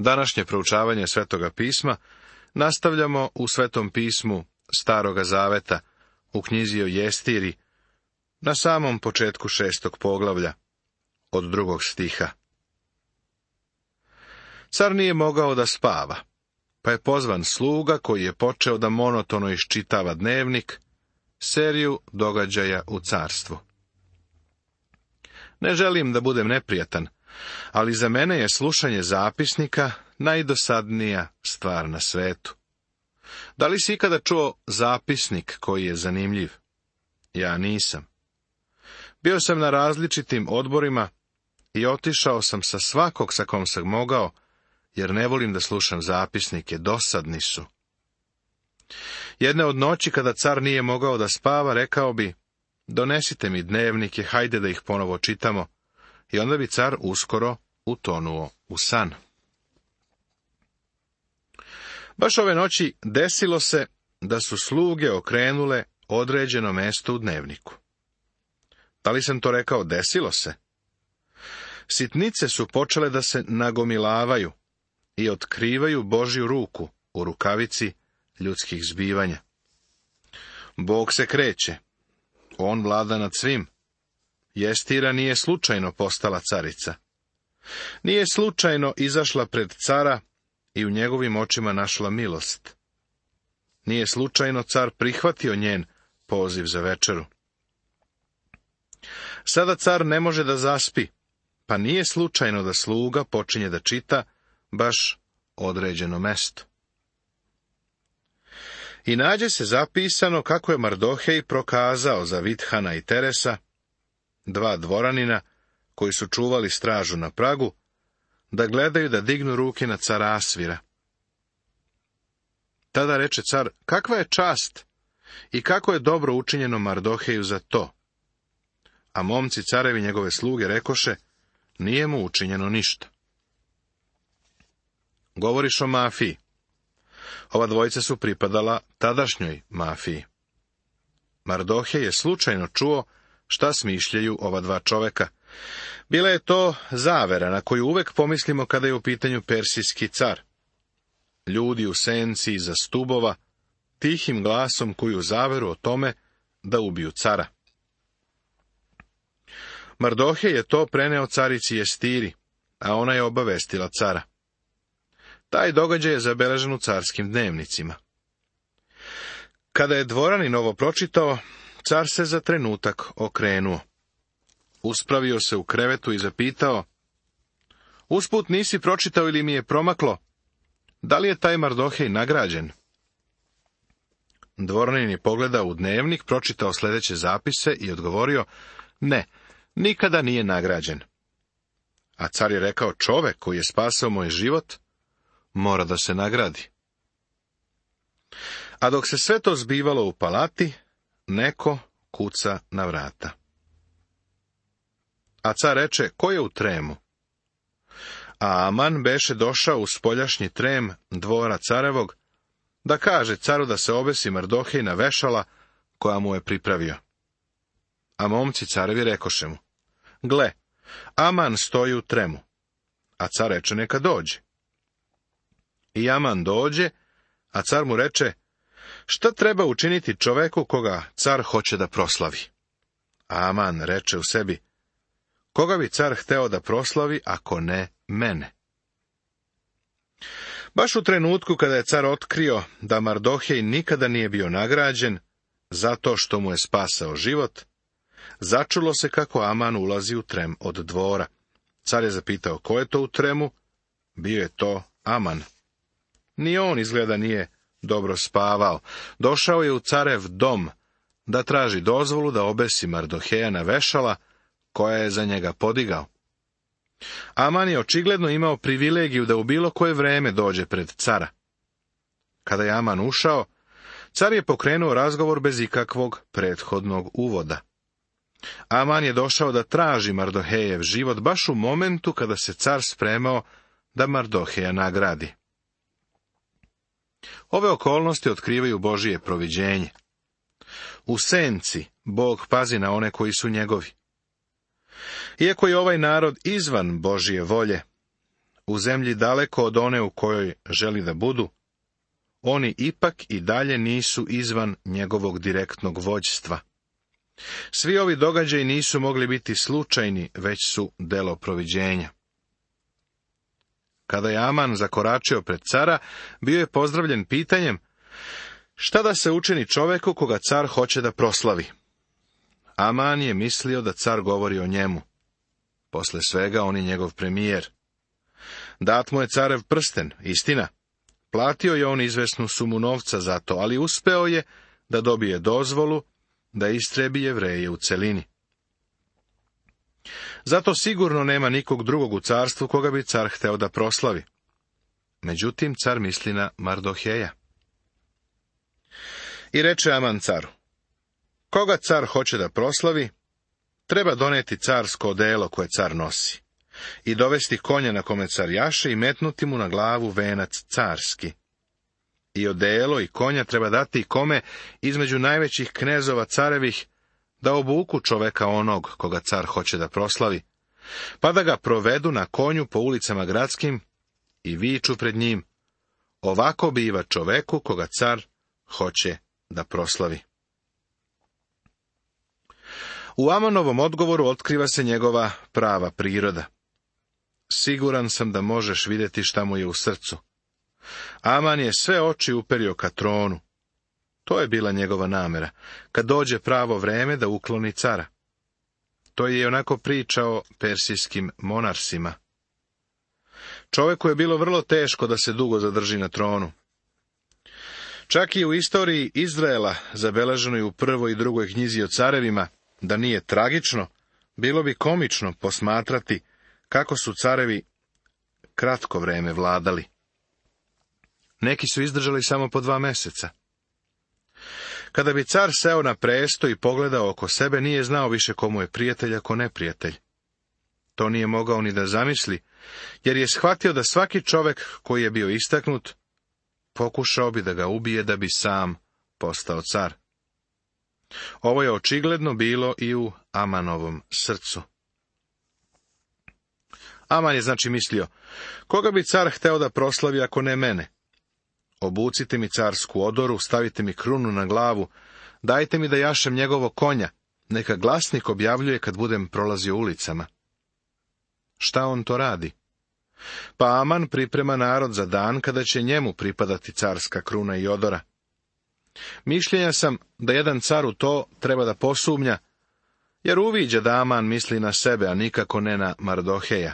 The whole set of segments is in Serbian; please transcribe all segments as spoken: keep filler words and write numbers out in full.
Današnje proučavanje Svetoga pisma nastavljamo u Svetom pismu Staroga zaveta, u knjizi o Jestiri, na samom početku šestog poglavlja, od drugog stiha. Car nije mogao da spava, pa je pozvan sluga koji je počeo da monotono iščitava dnevnik, seriju događaja u carstvu. Ne želim da budem neprijatan, ali za mene je slušanje zapisnika najdosadnija stvar na svetu. Da li si ikada čuo zapisnik koji je zanimljiv? Ja nisam. Bio sam na različitim odborima i otišao sam sa svakog sa kom sam mogao, jer ne volim da slušam zapisnike, dosadni su. Jedne od noći, kada car nije mogao da spava, rekao bi: donesite mi dnevnike, hajde da ih ponovo čitamo, i onda bi car uskoro utonuo u san. Baš ove noći desilo se da su sluge okrenule određeno mesto u dnevniku. Da li sam to rekao desilo se? Sitnice su počele da se nagomilavaju i otkrivaju Božju ruku u rukavici ljudskih zbivanja. Bog se kreće. On vlada nad svim. Jestira nije slučajno postala carica. Nije slučajno izašla pred cara i u njegovim očima našla milost. Nije slučajno car prihvatio njen poziv za večeru. Sada car ne može da zaspi, pa nije slučajno da sluga počinje da čita baš određeno mesto. I nađe se zapisano kako je Mardohej prokazao za Vidhana i Teresa, dva dvoranina koji su čuvali stražu na pragu, da gledaju da dignu ruke na cara Asvira. Tada reče car: kakva je čast i kako je dobro učinjeno Mardoheju za to. A momci carevi njegove sluge rekoše: nije mu učinjeno ništa. Govoriš o mafiji. Ova dvojica su pripadala tadašnjoj mafiji. Mardohej je slučajno čuo šta smišljaju ova dva čoveka. Bila je to zavera na koju uvek pomislimo kada je u pitanju persijski car. Ljudi u senci iza stubova, tihim glasom kuju zaveru o tome da ubiju cara. Mardohej je to preneo carici Jestiri, a ona je obavestila cara. Taj događaj je zabeležen u carskim dnevnicima. Kada je dvoranin ovo pročitao, car se za trenutak okrenuo. Uspravio se u krevetu i zapitao: usput nisi pročitao ili mi je promaklo, da li je taj Mardohej nagrađen? Dvoranin je pogledao u dnevnik, pročitao sljedeće zapise i odgovorio: ne, nikada nije nagrađen. A car je rekao: čovek koji je spasao moj život mora da se nagradi. A dok se sve to zbivalo u palati, neko kuca na vrata. A car reče: ko je u tremu? A Aman beše došao u spoljašnji trem dvora carevog, da kaže caru da se obesi Mardohej na vešala koja mu je pripravio. A momci carevi rekoše mu: gle, Aman stoji u tremu. A car reče: neka dođe. I Aman dođe, a car mu reče: šta treba učiniti čoveku koga car hoće da proslavi? A Aman reče u sebi: koga bi car hteo da proslavi, ako ne mene? Baš u trenutku kada je car otkrio da Mardohej nikada nije bio nagrađen, zato što mu je spasao život, začulo se kako Aman ulazi u trem od dvora. Car je zapitao: ko je to u tremu? Bio je to Aman. Ni on izgleda nije dobro spavao. Došao je u carev dom da traži dozvolu da obesi Mardoheja na vešala koja je za njega podigao. Aman je očigledno imao privilegiju da u bilo koje vreme dođe pred cara. Kada je Aman ušao, car je pokrenuo razgovor bez ikakvog prethodnog uvoda. Aman je došao da traži Mardohejev život baš u momentu kada se car spremao da Mardoheja nagradi. Ove okolnosti otkrivaju Božije proviđenje. U senci Bog pazi na one koji su njegovi. Iako je ovaj narod izvan Božije volje, u zemlji daleko od one u kojoj želi da budu, oni ipak i dalje nisu izvan njegovog direktnog vođstva. Svi ovi događaji nisu mogli biti slučajni, već su delo proviđenja. Kada je Aman zakoračio pred cara, bio je pozdravljen pitanjem: šta da se učini čoveku koga car hoće da proslavi? Aman je mislio da car govori o njemu. Posle svega on je njegov premijer. Dat mu je carev prsten, istina. Platio je on izvesnu sumu novca za to, ali uspeo je da dobije dozvolu da istrebi Jevreje u celini. Zato sigurno nema nikog drugog u carstvu koga bi car hteo da proslavi. Međutim, car misli na Mardoheja. I reče Aman caru: koga car hoće da proslavi, treba doneti carsko odelo koje car nosi, i dovesti konja na kome car jaše i metnuti mu na glavu venac carski. I odelo i konja treba dati kome između najvećih knezova carevih, da obuku čoveka onog koga car hoće da proslavi, pa da ga provedu na konju po ulicama gradskim i viču pred njim: ovako biva čoveku koga car hoće da proslavi. U Amanovom odgovoru otkriva se njegova prava priroda. Siguran sam da možeš vidjeti šta mu je u srcu. Aman je sve oči uperio ka tronu. To je bila njegova namera, kad dođe pravo vreme da ukloni cara. To je onako priča o persijskim monarsima. Čoveku je bilo vrlo teško da se dugo zadrži na tronu. Čak i u istoriji Izraela, zabeleženoj u prvoj i drugoj knjizi o carevima, da nije tragično, bilo bi komično posmatrati kako su carevi kratko vreme vladali. Neki su izdržali samo po dva meseca. Kada bi car seo na presto i pogledao oko sebe, nije znao više komu je prijatelj, a ko neprijatelj. To nije mogao ni da zamisli, jer je shvatio da svaki čovek koji je bio istaknut, pokušao bi da ga ubije da bi sam postao car. Ovo je očigledno bilo i u Amanovom srcu. Aman je znači mislio: koga bi car hteo da proslavi ako ne mene? Obucite mi carsku odoru, stavite mi krunu na glavu, dajte mi da jašem njegovo konja, neka glasnik objavljuje kad budem prolazio ulicama. Šta on to radi? Pa Aman priprema narod za dan kada će njemu pripadati carska kruna i odora. Mišljenja sam da jedan car u to treba da posumnja, jer uviđa da Aman misli na sebe, a nikako ne na Mardoheja.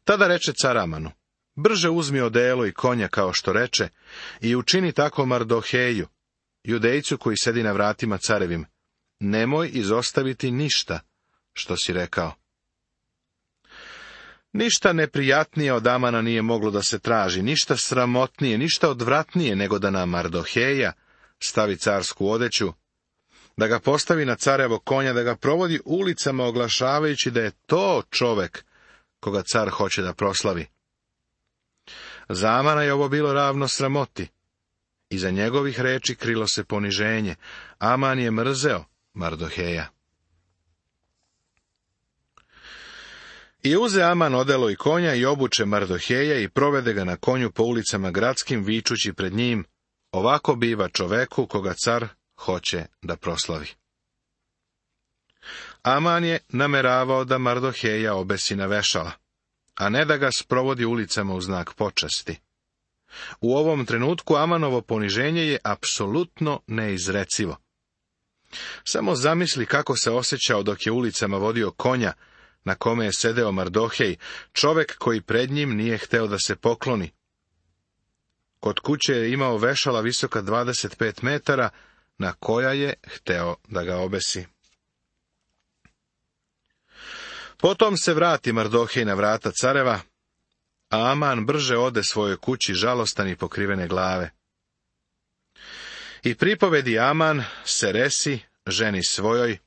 Tada reče car Amanu: brže uzmi odelo i konja kao što reče, i učini tako Mardoheju, Judejcu koji sedi na vratima carevim. Nemoj izostaviti ništa što si rekao. Ništa neprijatnije od Amana nije moglo da se traži, ništa sramotnije, ništa odvratnije nego da na Mardoheja stavi carsku odeću, da ga postavi na carevo konja, da ga provodi ulicama oglašavajući da je to čovek koga car hoće da proslavi. Za Amana je ovo bilo ravno sramoti. Iza njegovih reči krilo se poniženje. Aman je mrzeo Mardoheja. I uze Aman odelo i konja i obuče Mardoheja i provede ga na konju po ulicama gradskim, vičući pred njim: ovako biva čoveku koga car hoće da proslavi. Aman je nameravao da Mardoheja obesi na vešala, a ne da ga sprovodi ulicama u znak počasti. U ovom trenutku Amanovo poniženje je apsolutno neizrecivo. Samo zamisli kako se osjećao dok je ulicama vodio konja na kome je sedeo Mardohej, čovek koji pred njim nije hteo da se pokloni. Kod kuće je imao vešala visoka dvadeset pet metara, na koja je hteo da ga obesi. Potom se vrati Mardohej na vrata careva, a Aman brže ode svojoj kući žalostan i pokrivene glave. I pripovedi Aman Seresi, ženi svojoj,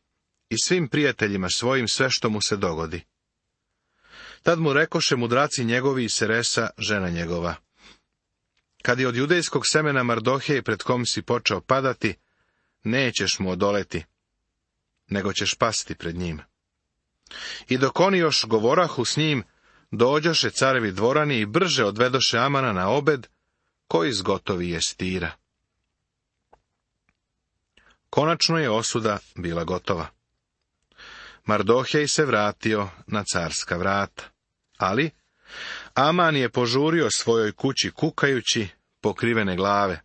i svim prijateljima svojim sve što mu se dogodi. Tad mu rekoše mudraci njegovi i Seresa, žena njegova: kad je od judejskog semena Mardohej pred kom si počeo padati, nećeš mu odoleti, nego ćeš pasti pred njim. I dok oni još govorahu s njim, dođoše carevi dvorani i brže odvedoše Amana na obed, koji zgotovi je stira. Konačno je osuda bila gotova. Mardohej se vratio na carska vrata, ali Aman je požurio svojoj kući kukajući, pokrivene glave.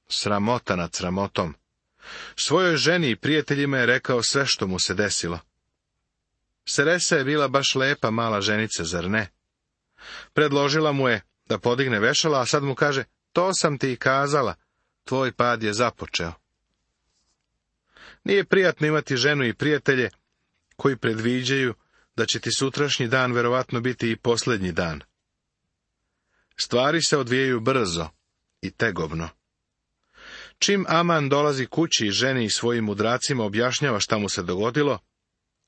Sramota nad sramotom. Svojoj ženi i prijateljima je rekao sve što mu se desilo. Seresa je bila baš lepa mala ženica, zar ne? Predložila mu je da podigne vešala, a sad mu kaže, to sam ti i kazala, tvoj pad je započeo. Nije prijatno imati ženu i prijatelje koji predviđaju da će ti sutrašnji dan verovatno biti i posljednji dan. Stvari se odvijaju brzo i tegobno. Čim Aman dolazi kući i ženi i svojim mudracima objašnjava šta mu se dogodilo,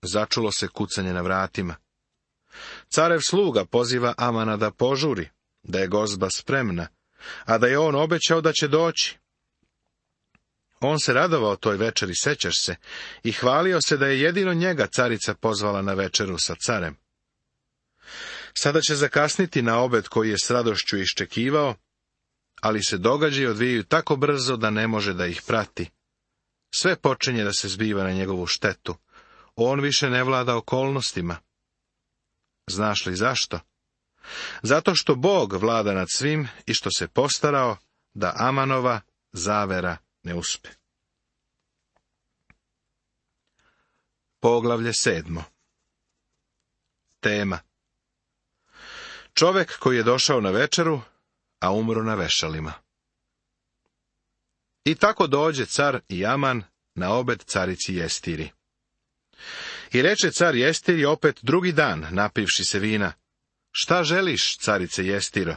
začulo se kucanje na vratima. Carev sluga poziva Amana da požuri, da je gozba spremna, a da je on obećao da će doći. On se radovao toj večeri, sećaš se, i hvalio se da je jedino njega carica pozvala na večeru sa carem. Sada će zakasniti na obed koji je s radošću iščekivao, ali se događaji odvijaju tako brzo da ne može da ih prati. Sve počinje da se zbiva na njegovu štetu. On više ne vlada okolnostima. Znaš li zašto? Zato što Bog vlada nad svim i što se postarao da Amanova zavera ne uspe. Poglavlje sedmo. Tema. Čovek koji je došao na večeru, a umro na vešalima. I tako dođe car i Aman na obed carici Jestiri. I reče car Jestiri opet drugi dan, napivši se vina, šta želiš, carice Jestiro?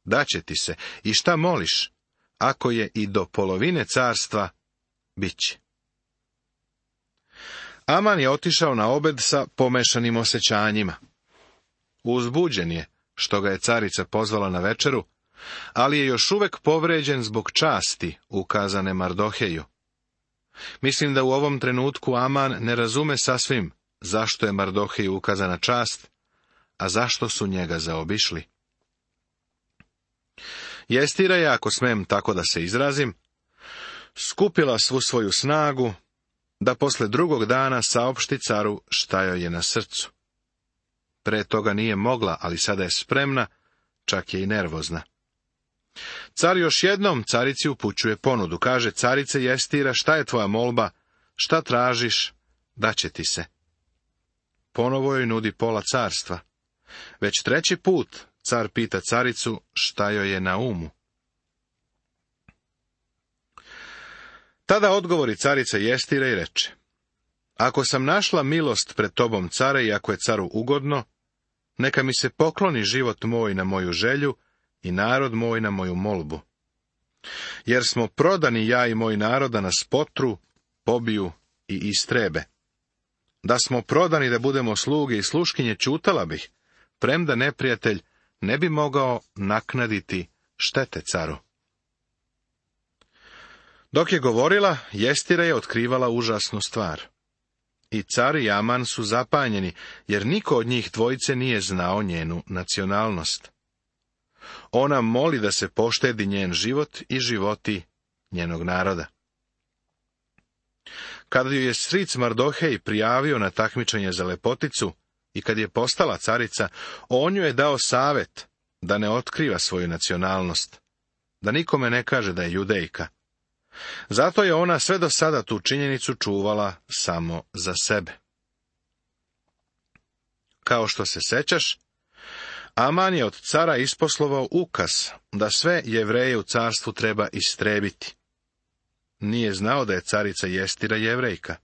Daće ti se, i šta moliš? Ako je i do polovine carstva, bit će. Aman je otišao na obed sa pomešanim osjećanjima. Uzbuđen je, što ga je carica pozvala na večeru, ali je još uvek povređen zbog časti ukazane Mardoheju. Mislim da u ovom trenutku Aman ne razume sasvim zašto je Mardoheju ukazana čast, a zašto su njega zaobišli. Jestira je, ako smem tako da se izrazim, skupila svu svoju snagu da posle drugog dana saopšti caru šta joj je na srcu. Pre toga nije mogla, ali sada je spremna, čak je i nervozna. Car još jednom carici upućuje ponudu. Kaže, carice Jestira, šta je tvoja molba? Šta tražiš? Daće ti se. Ponovo joj nudi pola carstva. Već treći put car pita caricu šta joj je na umu. Tada odgovori carica Jestira i reče, ako sam našla milost pred tobom, care, i ako je caru ugodno, neka mi se pokloni život moj na moju želju i narod moj na moju molbu. Jer smo prodani ja i moj narod da nas potru, pobiju i istrebe. Da smo prodani da budemo sluge i sluškinje, ćutala bih, premda neprijatelj ne bi mogao naknaditi štete caru. Dok je govorila, Jestira je otkrivala užasnu stvar. I car i Aman su zapanjeni, jer niko od njih dvojice nije znao njenu nacionalnost. Ona moli da se poštedi njen život i životi njenog naroda. Kada ju je stric Mardohej prijavio na takmičenje za lepoticu i kad je postala carica, on joj je dao savet da ne otkriva svoju nacionalnost, da nikome ne kaže da je Judejka. Zato je ona sve do sada tu činjenicu čuvala samo za sebe. Kao što se sećaš, Aman je od cara isposlovao ukaz da sve Jevreje u carstvu treba istrebiti. Nije znao da je carica Jestira Jevrejka.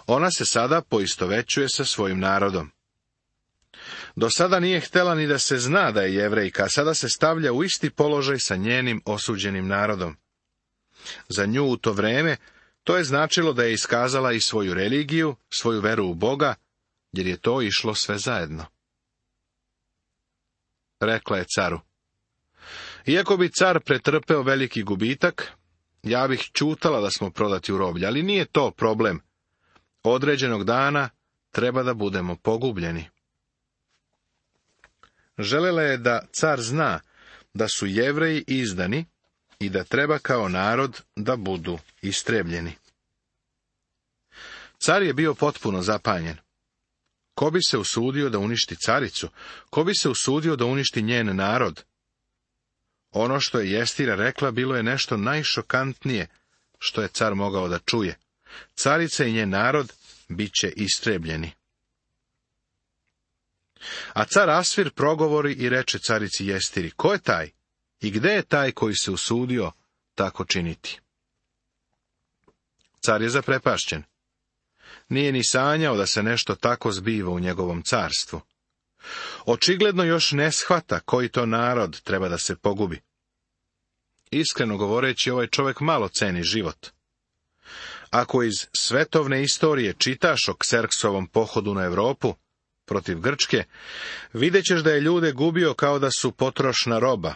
Ona se sada poistovećuje sa svojim narodom. Do sada nije htela ni da se zna da je Jevrejka, a sada se stavlja u isti položaj sa njenim osuđenim narodom. Za nju u to vreme to je značilo da je iskazala i svoju religiju, svoju veru u Boga, jer je to išlo sve zajedno. Rekla je caru, iako bi car pretrpeo veliki gubitak, ja bih ćutala da smo prodati u roblje, ali nije to problem. Određenog dana treba da budemo pogubljeni. Želela je da car zna da su Jevreji izdani i da treba kao narod da budu istrebljeni. Car je bio potpuno zapanjen. Ko bi se usudio da uništi caricu? Ko bi se usudio da uništi njen narod? Ono što je Jestira rekla bilo je nešto najšokantnije što je car mogao da čuje. Carica i njen narod bit će istrebljeni. A car Asvir progovori i reče carici Jestiri: ko je taj i gde je taj koji se usudio tako činiti? Car je zaprepašćen. Nije ni sanjao da se nešto tako zbiva u njegovom carstvu. Očigledno još ne shvata koji to narod treba da se pogubi. Iskreno govoreći, ovaj čovjek malo ceni život. Ako iz svetovne istorije čitaš o Kserksovom pohodu na Europu protiv Grčke, vidjet ćeš da je ljude gubio kao da su potrošna roba.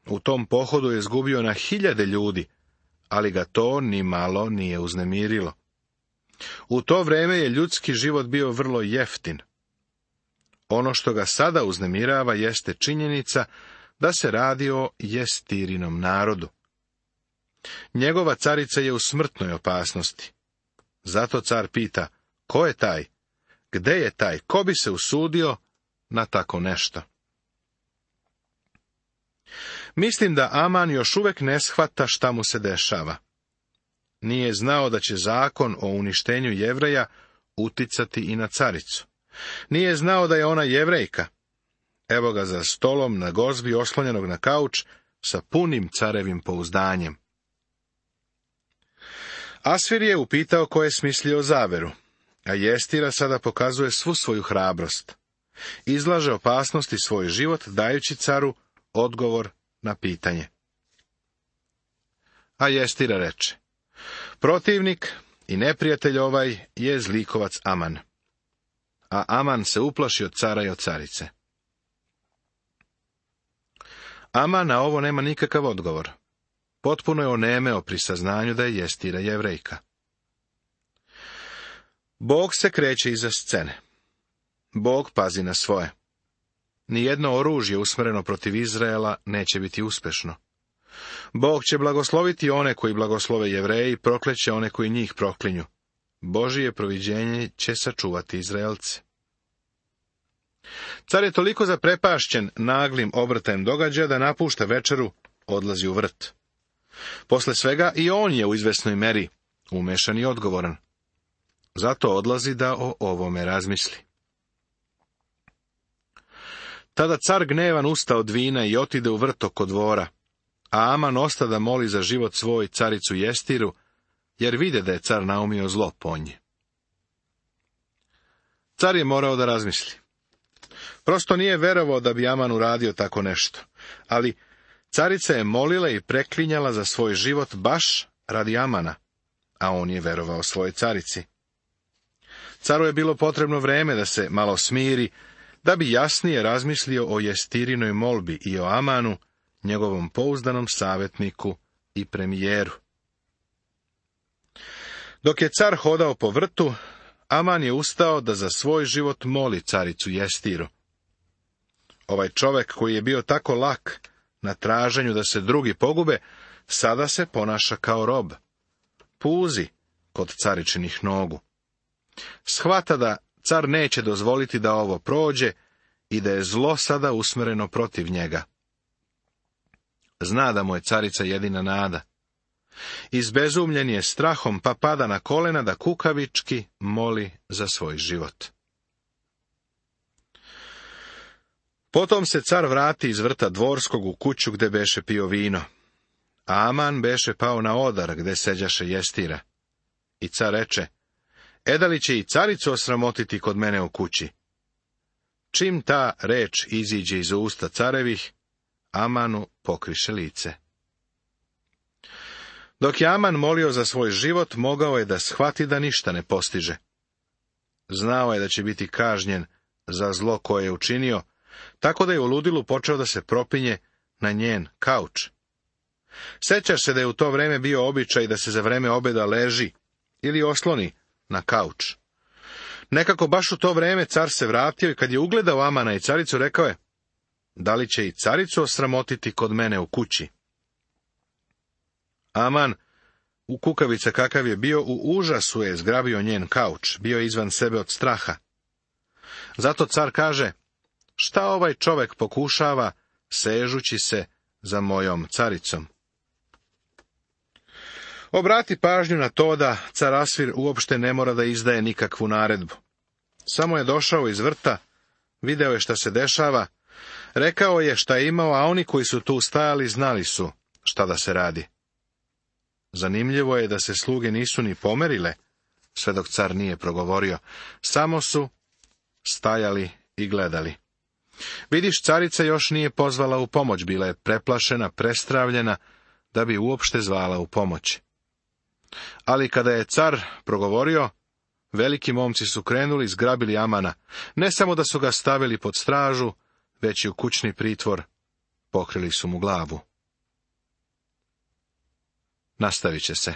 U tom pohodu je izgubio na hiljade ljudi, ali ga to ni malo nije uznemirilo. U to vrijeme je ljudski život bio vrlo jeftin. Ono što ga sada uznemirava jeste činjenica da se radi o Jestirinom narodu. Njegova carica je u smrtnoj opasnosti. Zato car pita: ko je taj? Gde je taj? Ko bi se usudio na tako nešto? Mislim da Aman još uvijek ne shvata šta mu se dešava. Nije znao da će zakon o uništenju Jevreja uticati i na caricu. Nije znao da je ona Jevrejka. Evo ga za stolom na gozbi oslonjenog na kauč sa punim carevim pouzdanjem. Asvir je upitao ko je smislio zaveru, a Jestira sada pokazuje svu svoju hrabrost. Izlaže opasnosti svoj život, dajući caru odgovor na pitanje. A Jestira reče: protivnik i neprijatelj ovaj je zlikovac Aman. A Aman se uplaši od cara i od carice. Aman na ovo nema nikakav odgovor. Potpuno je onemeo pri saznanju da je Jestira Jevrejka. Bog se kreće iza scene. Bog pazi na svoje. Nijedno oružje usmjereno protiv Izraela neće biti uspešno. Bog će blagosloviti one koji blagoslove Jevreji, prokleće one koji njih proklinju. Božije proviđenje će sačuvati Izraelce. Car je toliko zaprepašćen naglim obrtajem događaja da napušta večeru, odlazi u vrt. Posle svega i on je u izvesnoj meri umešan i odgovoran. Zato odlazi da o ovome razmisli. Tada car gnevan usta od vina i otide u vrt oko dvora, a Aman osta da moli za život svoj caricu Jestiru, jer vide da je car naumio zlo po nje. Car je morao da razmisli. Prosto nije verovao da bi Aman uradio tako nešto, ali carica je molila i preklinjala za svoj život baš radi Amana, a on je verovao svojoj carici. Caru je bilo potrebno vreme da se malo smiri, da bi jasnije razmislio o Jestirinoj molbi i o Amanu, njegovom pouzdanom savjetniku i premijeru. Dok je car hodao po vrtu, Aman je ustao da za svoj život moli caricu Jestiru. Ovaj čovjek koji je bio tako lak na traženju da se drugi pogube, sada se ponaša kao rob. Puzi kod caričinih nogu. Shvata da car neće dozvoliti da ovo prođe i da je zlo sada usmjereno protiv njega. Zna da mu je carica jedina nada. Izbezumljen je strahom, pa pada na kolena da kukavički moli za svoj život. Potom se car vrati iz vrta dvorskog u kuću gde beše pio vino. A Aman beše pao na odar gde seđaše Jestira. I car reče: e da li će i caricu osramotiti kod mene u kući? Čim ta reč iziđe iz usta carevih, Amanu pokriše lice. Dok je Aman molio za svoj život, mogao je da shvati da ništa ne postiže. Znao je da će biti kažnjen za zlo koje je učinio, tako da je u ludilu počeo da se propinje na njen kauč. Sećaš se da je u to vreme bio običaj da se za vreme obeda leži ili osloni na kauč. Nekako baš u to vreme car se vratio i kad je ugledao Amana i caricu, rekao je: da li će i caricu osramotiti kod mene u kući? Aman, u kukavica kakav je bio, u užasu je zgrabio njen kauč, bio je izvan sebe od straha. Zato car kaže: šta ovaj čovek pokušava, sežući se za mojom caricom? Obrati pažnju na to da car Asvir uopšte ne mora da izdaje nikakvu naredbu. Samo je došao iz vrta, video je šta se dešava, rekao je šta je imao, a oni koji su tu stajali znali su šta da se radi. Zanimljivo je da se sluge nisu ni pomerile, sve dok car nije progovorio, samo su stajali i gledali. Vidiš, carica još nije pozvala u pomoć, bila je preplašena, prestravljena, da bi uopšte zvala u pomoć. Ali kada je car progovorio, veliki momci su krenuli, zgrabili Amana. Ne samo da su ga stavili pod stražu, već i u kućni pritvor, pokrili su mu glavu. Nastavit će se.